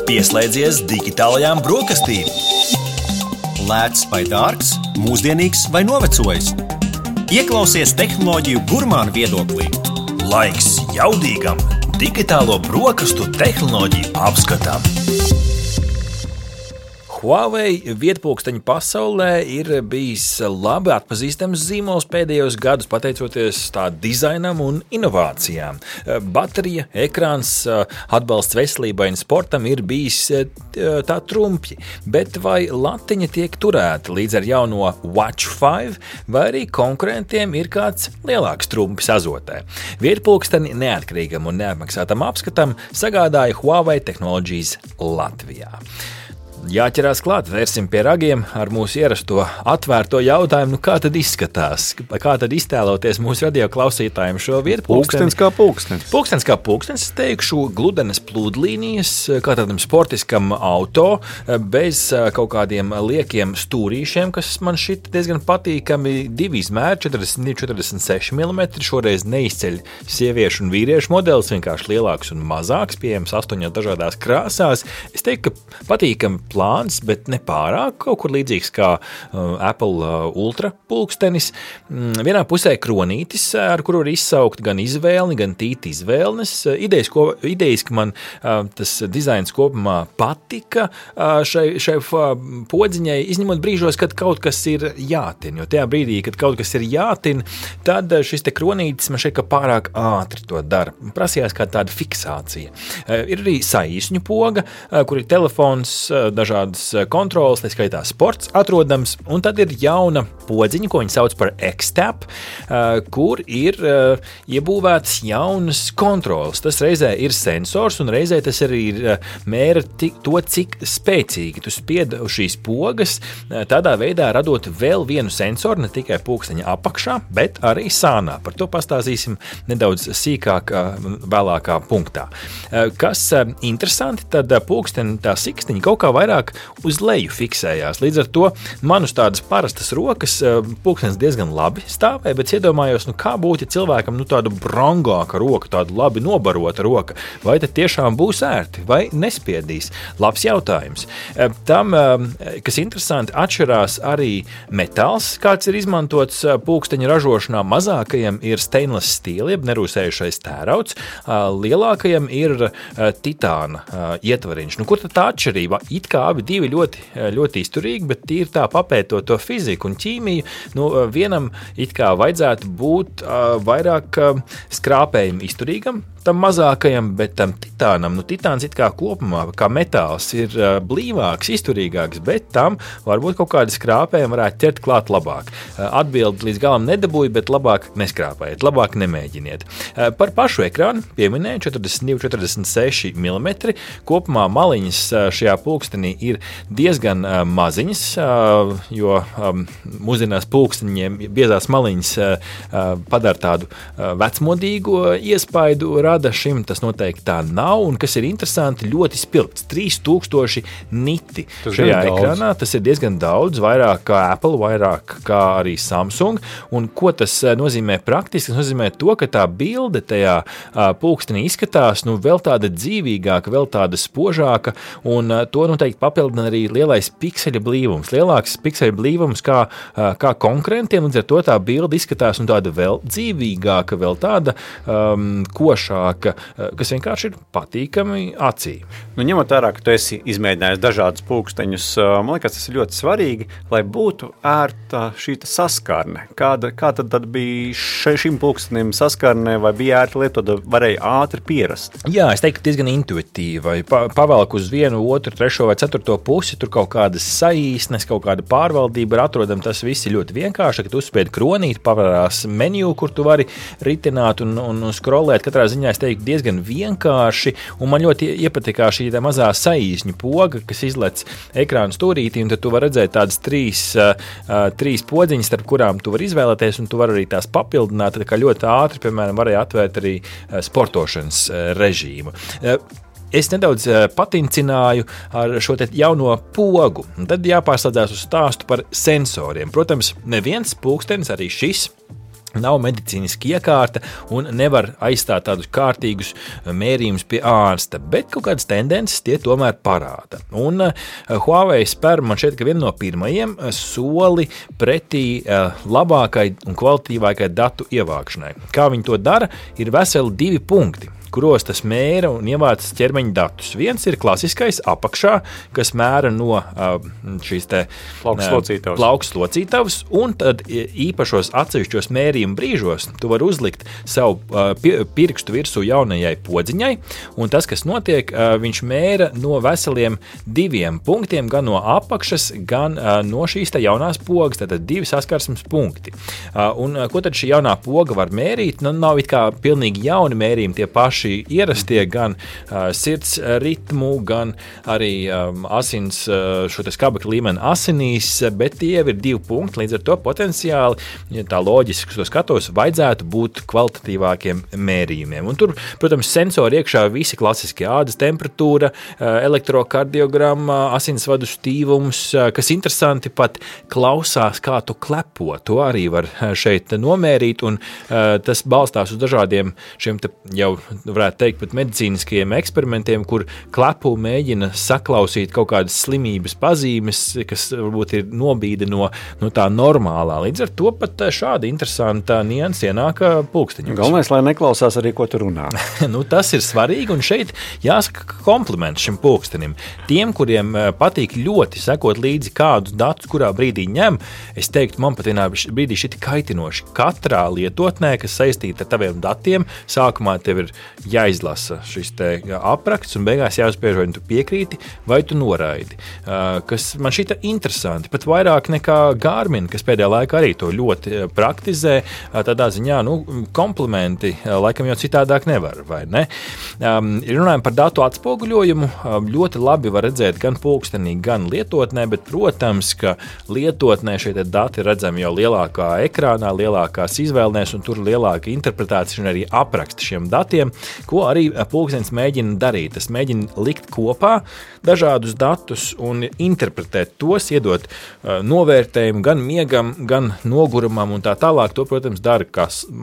Pieslēdzies digitālajām brokastīm. Lēts vai dārgs, mūsdienīgs vai novecojis. Ieklausies tehnoloģiju gurmānu viedoklī. Laiks jaudīgam digitālo brokastu tehnoloģiju apskatam. Huawei vietpulksteņu pasaulē ir bijis labi atpazīstams zīmols pēdējos gadus, pateicoties tā dizainam un inovācijām. Baterija, ekrāns, atbalsts veselībai un sportam ir bijis tā trumpji, bet vai latiņa tiek turēta līdz ar jauno Watch 5, vai arī konkurentiem ir kāds lielāks trumpis azotē? Vietpulksteni neatkarīgam un neapmaksātam apskatam sagādāja Huawei Technologies Latvijā. Jāķerās klāt, vērsim pie ragiem ar mūsu ierasto atvērto jautājumu, kā tad izskatās, kā tad iztēloties mūsu radio klausītājiem šo vietpulksteni. Pulkstens kā pulkstens. Pulkstens kā pulkstens, es teikšu, gludenes plūdlīnijas, kā tādam sportiskam auto, bez kaut kādiem liekiem stūrīšiem, kas man šit diezgan patīkami, 2 izmēri, 42-46 mm, šoreiz neizceļ sieviešu un vīriešu modelis, vienkārši lielāks un mazāks, pieejams 8 dažādās krāsās. Es teiktu, ka patīkami plāns, bet ne pārāk, kaut kur līdzīgs kā Apple Ultra pulkstenis. Vienā pusē kronītis, ar kuru var izsaukt gan izvēlni, gan tīti izvēlnes. Idejiski man tas dizains kopumā patika šai podziņai, izņemot brīžos, kad kaut kas ir jātin, jo tajā brīdī, kad kaut kas ir jātin, tad šis te kronītis man šeit kā pārāk ātri to dara. Prasījās kā tāda fiksācija. Ir arī saīsņu poga, kur ir telefons, dažādas kontrolas, tā skaitā sports atrodams, un tad ir jauna podziņa, ko viņi sauc par X-Tap, kur ir iebūvētas jaunas kontrolas. Tas reizē ir sensors, un reizē tas arī ir mēra to, cik spēcīgi tu spied uz šīs pogas, tādā veidā radot vēl vienu sensoru, ne tikai pulksteņa apakšā, bet arī sānā. Par to pastāstīsim nedaudz sīkāk vēlākā punktā. Kas interesanti, tad pulksteņa tā sikstiņa kaut kā vairāk uz leju fiksējās. Līdz ar to man uz tādas parastas rokas pulkstenis diezgan labi stāvēja, bet iedomājos, kā būtu, ja cilvēkam tāda brangāka roka, tāda labi nobarota roka, vai tad tiešām būs ērti, vai nespiedīs? Labs jautājums. Tam, kas interesanti, atšķirās arī metāls, kāds ir izmantots pulksteņa ražošanā. Mazākajam ir stainless steel, jeb nerūsējušais tērauds, lielākajam ir titāna ietvariņš. Kur tad tā atšķirība? It kā abi divi ļoti izturīgi, bet tīri tā papētot to fiziku un ķīmiju, vienam it kā vajadzētu būt vairāk skrāpējumu izturīgam, tam mazākajam, bet tam titānam, titāns it kā kopumā, kā metāls, ir blīvāks, izturīgāks, bet tam varbūt kaut kādi skrāpējumi varētu ķert klāt labāk. Atbildi līdz galam nedabūju, bet labāk neskrāpējiet, labāk nemēģiniet. Par pašu ekrānu pieminēju 42-46 mm, kopumā maliņas šajā pulkstenī ir diezgan maziņas, jo mūsdienās pulksteņiem biezās maliņas padara tādu vecmodīgu iespaidu rada šim, tas noteikti tā nav, un kas ir interesanti, ļoti spilgts, 3000 niti šajā ekrānā, tas ir diezgan daudz, vairāk kā Apple, vairāk kā arī Samsung, un ko tas nozīmē praktiski? Tas nozīmē to, ka tā bilde tajā pulkstenī izskatās, vēl tāda dzīvīgāka, vēl tāda spožāka, un to noteikti papildina arī lielais pikseļa blīvums. Lielāks pikseļa blīvums kā konkurentiem, līdz ar to tā bilde izskatās tāda vēl dzīvīgāka, vēl tāda košāka, kas vienkārši ir patīkami acī. Ņemot vērā, ka tu esi izmēģinājis dažādus pulksteņus, man liekas, tas ir ļoti svarīgi, lai būtu ērta šī saskarne. Kāda tad bija šim pulkstenim saskarne, vai bija ērti lietot, varēja ātri pierast? Jā, es teiktu, diezgan intuitīvi. Pavelk uz vienu, otru, trešo vai ceturto pusi, tur kaut kādas saīsnes, kaut kāda pārvaldība ir atrodama, tas viss ir ļoti vienkārši, ka tu uzspiedi kronīt, pavarās menu, kur tu vari ritināt un scrollēt. Katrā ziņā es teiktu diezgan vienkārši, un man ļoti iepatikā šī mazā saīsņu poga, kas izlec ekrānu stūrītī, un tad tu vari redzēt tādas trīs podziņas, starp kurām tu vari izvēlēties, un tu vari arī tās papildināt, tā kā ļoti ātri, piemēram, varēja atvērt arī sportošanas režīmu. Es nedaudz patincināju ar šo te jauno pogu, un tad jāpārslēdzās uz stāstu par sensoriem. Protams, neviens pulkstenis, arī šis, Nav medicīniski iekārta un nevar aizstāt tādus kārtīgus mērījumus pie ārsta, bet kaut kādas tendences tie tomēr parāda. Un Huawei spēr man šķiet, ka viena no pirmajiem soli pretī labākai un kvalitatīvākai datu ievākšanai. Kā viņi to dara, ir veseli 2 punkti, kuros tas mēra un ievāc ķermeņa datus. Viens ir klasiskais apakšā, kas mēra no šīs te plaukslocītavas, un tad īpašos atsevišķos mērījumu brīžos tu vari uzlikt savu pirkstu virsū jaunajai podziņai, un tas, kas notiek, viņš mēra no veseliem 2 punktiem, gan no apakšas, gan no šīs te jaunās pogas, tātad 2 saskarsmes punkti. Un ko tad šī jaunā poga var mērīt? Nu, nav it kā pilnīgi jauni mērījumi, tie paši ierastie, gan sirds ritmu, gan arī asins, šo te skābekļa līmeni asinīs, bet tie ir 2 punkti, līdz ar to potenciāli, ja tā loģiski to skatos, vajadzētu būt kvalitatīvākiem mērījumiem. Un tur, protams, sensori iekšā visi klasiski ādas temperatūra, elektrokardiogramma, asinsvadu stīvums, kas interesanti pat klausās, kā tu klepo. To arī var šeit nomērīt, un tas balstās uz dažādiem šiem te jau varētu teikt pat medicīniskajiem eksperimentiem, kur klepu mēģina saklausīt kaut kādas slimības pazīmes, kas varbūt ir nobīde no tā normālā. Līdz ar to pat šāda interesanta nianse ienāk pulksteņos. Galvenais, lai neklausās arī, ko tu runā. Tas ir svarīgi, un šeit jāsaka kompliments šim pulkstenim. Tiem, kuriem patīk ļoti sekot līdzi kādus datus, kurā brīdī ņem, es teiktu, man pat vienā brīdī šiti kaitinoši. Katrā lietotnē, kas saistīta ar taviem datiem, sākumā tev ir jāizlasa šis te apraksts un beigās jāuzspiež, vai tu piekrīti, vai tu noraidi. Kas man šita interesanti, pat vairāk nekā Garmin, kas pēdējā laikā arī to ļoti praktizē, tādā ziņā, komplimenti, laikam jau citādāk nevar, vai ne? Runājam par datu atspoguļojumu, ļoti labi var redzēt gan pulkstenī, gan lietotnē, bet, protams, ka lietotnē šie dati redzami jau lielākā ekrānā, lielākās izvēlnēs, un tur lielāka interpretācija un arī apraksta šiem datiem, ko arī pulkstenis mēģina darīt. Tas mēģina likt kopā dažādus datus un interpretēt tos, iedot novērtējumu gan miegam, gan nogurumam un tā tālāk. To, protams, dara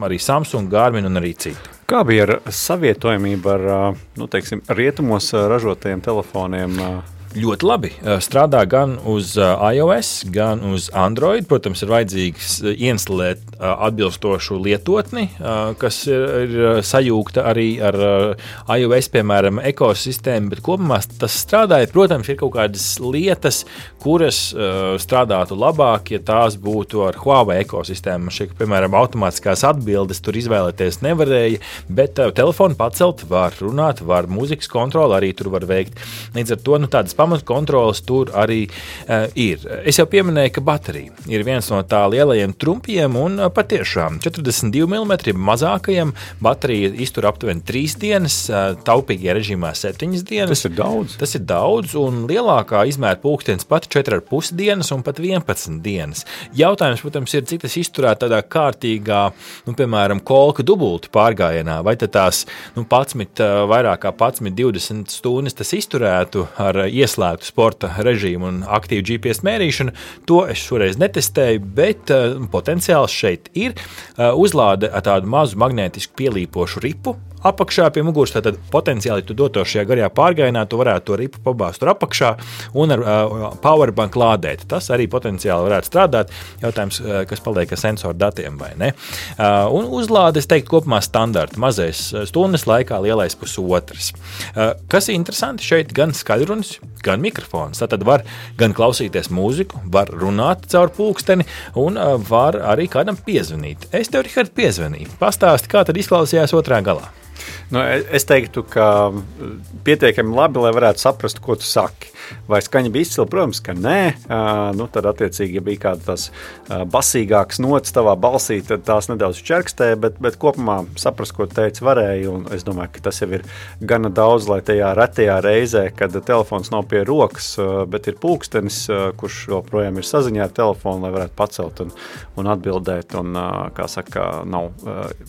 arī Samsung, Garmin un arī citi. Kā bija ar savietojamību ar, rietumos ražotajiem telefoniem? Ļoti labi. Strādā gan uz iOS, gan uz Android. Protams, ir vajadzīgs ieinstalēt atbilstošu lietotni, kas ir sajūgta arī ar iOS, piemēram, ekosistēmu, bet kopumā tas strādāja. Protams, ir kaut kādas lietas, kuras strādātu labāk, ja tās būtu ar Huawei ekosistēmu. Šeit, piemēram, automātiskās atbildes tur izvēlēties nevarēja, bet telefonu pacelt var runāt, var mūzikas kontroli arī tur var veikt. Līdz ar to, tādas pamatkontroles tur arī ir. Es jau pieminēju, ka baterija ir viens no tā lielajiem trumpiem, un patiešām 42 mm mazākajiem baterija iztur aptuveni 3 dienas, taupīgajā režīmā 7 dienas. Tas ir daudz, un lielākā izmēra pulkstenis pat 4,5 dienas un pat 11 dienas. Jautājums, protams, ir, cik tas izturēt tādā kārtīgā, piemēram, kolka dubultu pārgājienā, vai tad tās 11, vairāk kā 20 stundas tas izturētu ar ieslēgtu sporta režīmu un aktīvu GPS mērīšanu. To es šoreiz netestēju, bet potenciāls šeit ir. Uzlāde ar tādu mazu magnētisku pielīpošu ripu apakšā pie muguras, tātad potenciāli tu dotos šajā garajā pārgājienā, tu varētu to ripu pabāzt tur apakšā un ar powerbank lādēt. Tas arī potenciāli varētu strādāt. Jautājums, kas paliek ar sensoru datiem vai ne. Un uzlāde, es teiktu, kopumā standarta. Mazais stundas laikā, lielais pusotras. Kas ir interesanti, šeit gan skaļrunis, gan mikrofons. Tātad var gan klausīties mūziku, var runāt caur pulksteni un var arī kādam piezvanīt. Es tev, Rihard, piezvanīju. Pastāsti, kā tad izklausījās otrā galā. Es teiktu, ka pietiekami labi, lai varētu saprast, ko tu saki. Vai skaņa bija izcila? Protams, ka nē. Tad attiecīgi, ja bija kāda tās basīgākas nots tavā balsī, tad tās nedaudz čerkstēja, bet kopumā saprast, ko teica varēja, un es domāju, ka tas jau ir gana daudz, lai tajā retajā reizē, kad telefons nav pie rokas, bet ir pulkstenis, kurš joprojām ir saziņā ar telefonu, lai varētu pacelt un atbildēt, un, kā saka, nav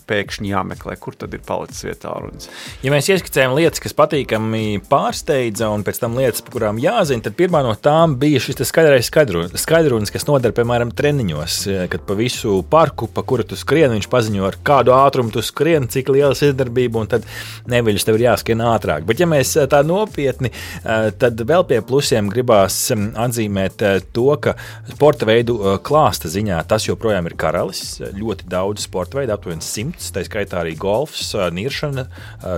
pēkšņi jāmeklē, kur tad ir palicis tālrunis. Ja mēs ieskicējam lietas, kas patīkami pārsteidza, un pēc tam lietas, par kurām jāzina, tad pirmā no tām bija šis skaidrunis, kas noder, piemēram, treniņos, kad pa visu parku, pa kuru tu skrien, viņš paziņo, ar kādu ātrumu tu skrien, cik liela izdarbība, un tad neviļus tev ir jāskrien ātrāk. Bet ja mēs tā nopietni, tad vēl pie plusiem gribās atzīmēt to, ka sporta veidu klāsta ziņā tas joprojām ir karalis. Ļoti daudz sporta veidu, aptuveni 100, tā skaitā arī golfs, niršana,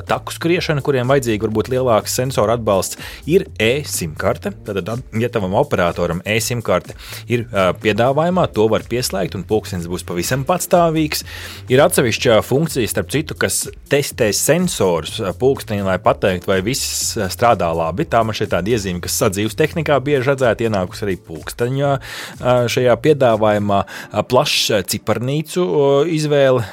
taku skriešana, kuriem vajadzīgi varbūt lielāks sensoru atbalsts, ir e-SIM karte. Tad, ja tavam operatoram e-SIM karte ir piedāvājumā, to var pieslēgt un pulkstenis būs pavisam patstāvīgs. Ir atsevišķa funkcija, starp citu, kas testē sensorus pulkstenī, lai pateikt, vai viss strādā labi. Tā man šeit tāda iezīme, kas sadzīves tehnikā bieži redzēt, ienākus arī pulksteņā. Šajā piedāvājumā plašs ciparnīcu izvēle,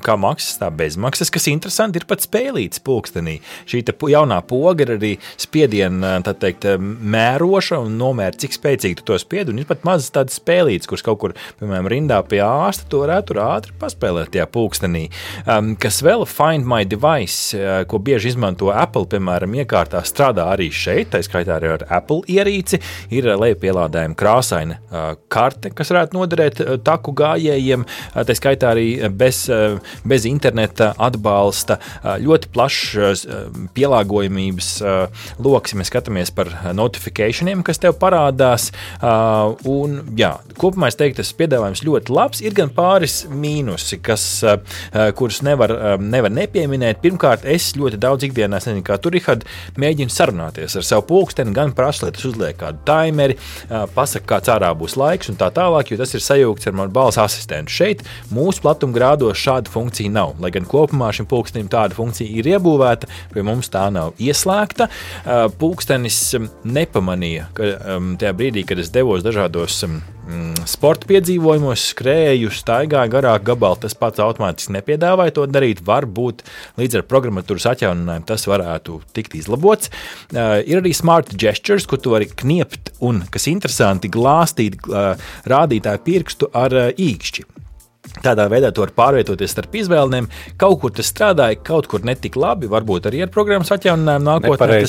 kā maksas, tā bezmaksas, kas interesanti ir pat spēlīts pulkstenī. Šī jaunā poga ir arī spiediena, tā teikt, mēroša un nomēr, cik spēcīgi tu to spied, un ir pat mazas tādas spēlītes, kuras kaut kur, piemēram, rindā pie ārsta, to varētu ātri paspēlēt tajā pulkstenī. Kas vēl Find My Device, ko bieži izmanto Apple, piemēram, iekārtā strādā arī šeit, tā skaitā arī ar Apple ierīci, ir lejupielādējuma krāsaina karte, kas varētu noderēt taku gājējiem, tā skaitā arī bez interneta atbalsta, ļoti plašs pielāgojamības loks, ja mēs skatāmies par notificationiem, kas tev parādās, un jā, kopumā es teiktu, tas piedāvājums ļoti labs, ir gan pāris mīnusi, kurus nevar nepieminēt. Pirmkārt, es ļoti daudz ikdienā, nezinu, kā tu, Rihard, mēģinu sarunāties ar savu pulksteni, gan prasu, lai tas uzliek kādu taimeri, pasaka, kāds ārā būs laiks un tā tālāk, jo tas ir sajūgts ar manu balss asistentu. Šeit mūsu platumgrādos šāda funkcija nav, lai gan kopumā šim pulkstenim tāda funkcija ir iebūvēta, pie mums tā nav ieslēgta. Pulkstenis nepamanīja, ka tajā brīdī, kad es devos dažādos sporta piedzīvojumos, skrēju, staigāju garāk gabalu, tas pats automātiski nepiedāvāja to darīt. Varbūt līdz ar programmatūras atjauninājumu tas varētu tikt izlabots. Ir arī smart gestures, kur tu vari kniept un, kas interesanti, glāstīt rādītāju pirkstu ar īkšķi. Tādā veidā tu vari pārvietoties starp izvēlēm. Kaut kur tas strādāja, kaut kur netik labi, varbūt arī ar programmas atjauninājumu nākotnē.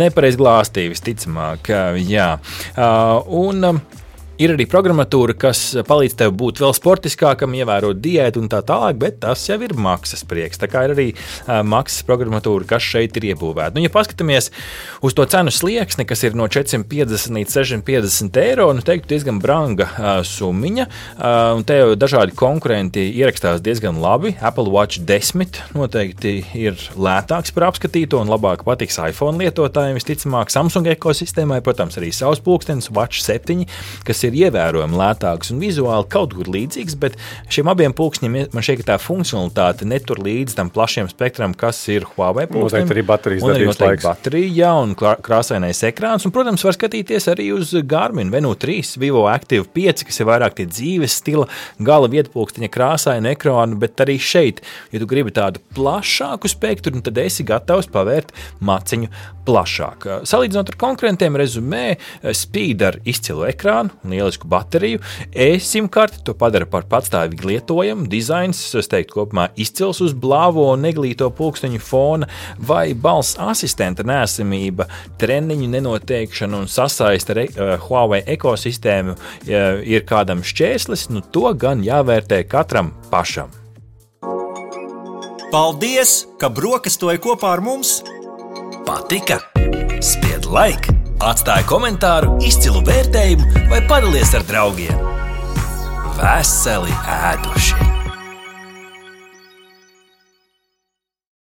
Nepareiz glāstīja, visticamāk, jā. Un ir arī programmatūra, kas palīdz tev būt vēl sportiskākam, ievērot diētu un tā tālāk, bet tas jau ir maksas prieks. Tā kā ir arī maksas programmatūra, kas šeit ir iebūvēta. Nu, ja paskatāmies uz to cenu slieksni, kas ir no 450 līdz 650 eiro, nu teiktu diezgan branga summiņa, un te jau dažādi konkurenti ierakstās diezgan labi. Apple Watch 10 noteikti ir lētāks par apskatīto un labāk patiks iPhone lietotājiem, visticamāk Samsung ekosistēmai, protams, arī savs pulkstenis Watch 7, kas ir ievērojami lētāks un vizuāli kaut kur līdzīgs, bet šiem abiem pulksteņiem man šķiet, ka tā funkcionalitāte netur līdz tam plašiem spektram, kas ir Huawei pulkstenim. Noteikti arī baterijas darbības laiks. Baterija, jā, un krāsainais ekrāns, un, protams, var skatīties arī uz Garmin Venu 3, Vivo Active 5, kas ir vairāk tie dzīves stila, gala vietpulksteņa krāsaina ekrānu, bet arī šeit, ja tu gribi tādu plašāku spektru, tad esi gatavs pavērt maciņu plašāk. Salīdzinot ar konkurentiem, rezumē, Speed ar izcilu ekrānu un lielisku bateriju, e-SIM karti to padara par patstāvīgi lietojamu, dizains, es teiktu, kopumā izcils uz blāvo un neglīto pulksteņu fona, vai balss asistenta neesamība, treniņu nenoteikšana un sasaiste ar Huawei ekosistēmu ir kādam šķēslis, nu to gan jāvērtē katram pašam. Paldies, ka brokastoji kopā ar mums! Patika? Spied like! Atstāj komentāru, izcilu vērtējumu vai padalies ar draugiem. Veseli ēduši!